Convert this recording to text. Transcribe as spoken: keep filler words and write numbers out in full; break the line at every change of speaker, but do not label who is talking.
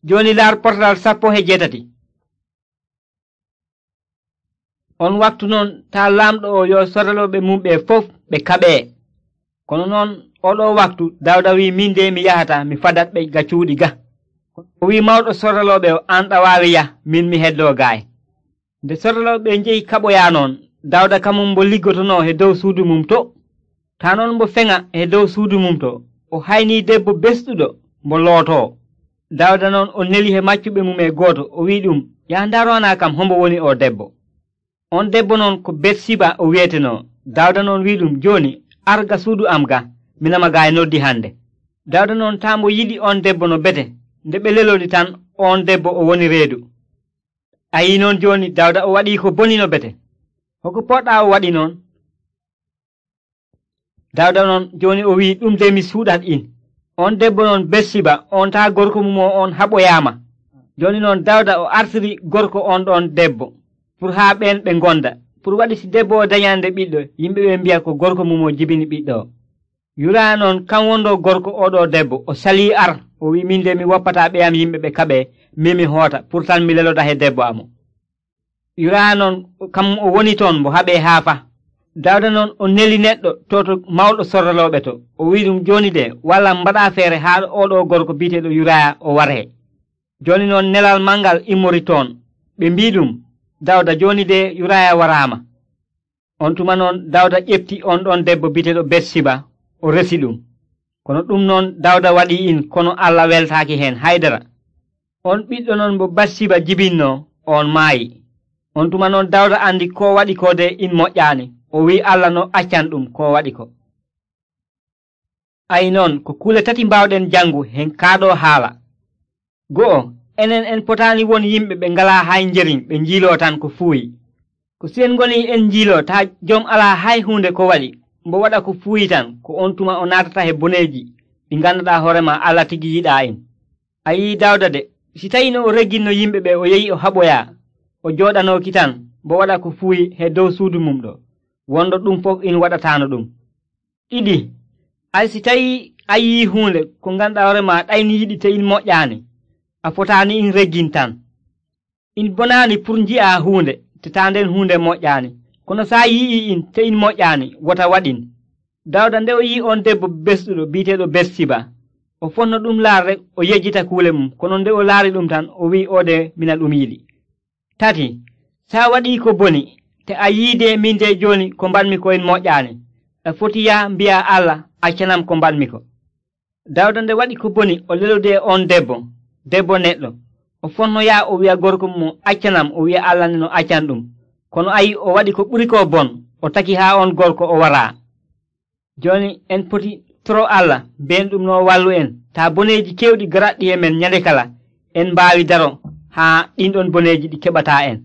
Joni laar portal sappo he jetati. On waktu noon taa laamɗo o yo soraloɓe mum ɓe fof ɓe kaɓee. Kono noon oɗo waktu Dawda wi min de mi yahata mi fadat ɓe ga cuuɗi ga. O wi mawɗo soraloɓe o an ɗa waawi yah min mi heddoo gaay. Nde soraloɓe njehi kaɓoyaa noon Dawda kamum mbo liggotono he dow suudu mum to. Taa noon mbo feŋa he dow suudu mum to o haynii debbo besɗuɗo mbo lootoo. Dawda noon o neli he maccuɓe mum e gooto o wi ɗum yaa ndaroana kam hombo woni o debbo. On debbo noon ko Betsiba o wiyetenoo. Dawda noon wi ɗum jooni arga suudu am ga minama gaay noddi hande. Dawda noon taa mbo yiɗi on debbo no bete nde ɓe lelori tan on debbo o woni reedu. A yii noon jooni Dawda o waɗii ko boni no bete. Hoko poɗɗa o waɗi noon? Dawda noon jooni o wi ɗum de mi suuɗat in. On debbo noon Betsiba on taa gorko mum o on haɓoyaama. Jooni noon Dawda o artiri gorko on ɗon debbo pour haa ɓen ɓe gonda pour waɗi si debbo o dañande ɓiɗɗo yimɓe ɓe mbiya ko gorko mum o jibini ɓiɗɗo o. Yuraya noon kam wondo gorko oɗo debbo o salii ar o wi min de mi woppata ɓeyam yimɓe ɓe kaɓe min mi hoota pour tan mi leloda he debbo amo. Yuraya noon kam o woni toon mbo haɓe haafa. Dawda noon o neli neɗɗo to to mawɗo sorraloɓe to o wi ɗum jooni de walla mbaɗa feere haa oɗo gorko biiteɗo Yuraya o waree. Jooni noon nelal mangal immori toon ɓe mbi ɗum Dawda jooni de Yuraya waraama. On tuma noon Dawda ƴefti on ɗon debbo biiteɗo Betsiba o resi ɗum. Kono ɗum noon Dawda waɗi in kono Allah weltaaki heen haydara. On ɓiɗɗo noon mo Betsiba jibinno on maayi. On tuma noon Dawda andi ko waɗi ko de in moƴƴaani o wi Allah no accan ɗum ko waɗi ko. Ayi noon ko kuule tati mbawɗen jangu hen kaaɗo haala. Go'o enen en potaani won yimɓe ɓe ngalaa hay njeriñ ɓe njiiloo tan ko fuuyi. Ko si en ngoni en njiiloo taa jom alaa hay hunde ko waɗi mbo waɗa ko fuuyi tan ko on tuma o naatata he boneeji ɗi ngannduɗaa hoorema Allah tigi yiɗaa en. A yii Dawda de si tawi no o regginno yimɓe ɓe o yehi o haɓoyaa o jooɗanooki tan mbo waɗa ko fuuyi he dow suudu mum ɗo wondo ɗum fof in waɗataano ɗum. Ɗiɗi ay si tawi a yii huunde ko ngannduɗaa hoorema ɗayni yiɗi te in moƴƴaani a fotaani in reggin tan. In bonaani pour nji'a huunde te taa nden huunde moƴƴaani kono saa yi'i in te in moƴƴaani wota waɗin. Dawda nde o yii on debbo besɗuɗo biiteɗo Betsiba o fonno ɗum laarre o yejjita kuule mum kono nde o laari ɗum tan o wi o de mina ɗum yiɗi. Tati saa waɗii ko boni te a yiide min de jooni ko mbanmi ko in moƴƴaani a foti ya mbi'a Allah accanam ko mbanmi ko. Dawda nde waɗi ko boni o lelode on debbo debbo neɗɗo o fonno yaa o wi'a gorko mum accanam o wi'a Allah ne no accan ɗum kono ayi o waɗi ko ɓuri ko bon o taki haa on gorko o waraa. Jooni en poti toro Allah ben ɗum no wallu en taa boneeji kewɗi garaɗɗi e men ñande kala en mbaawi daro haa ɗin ɗon boneeji ɗi keɓataa en.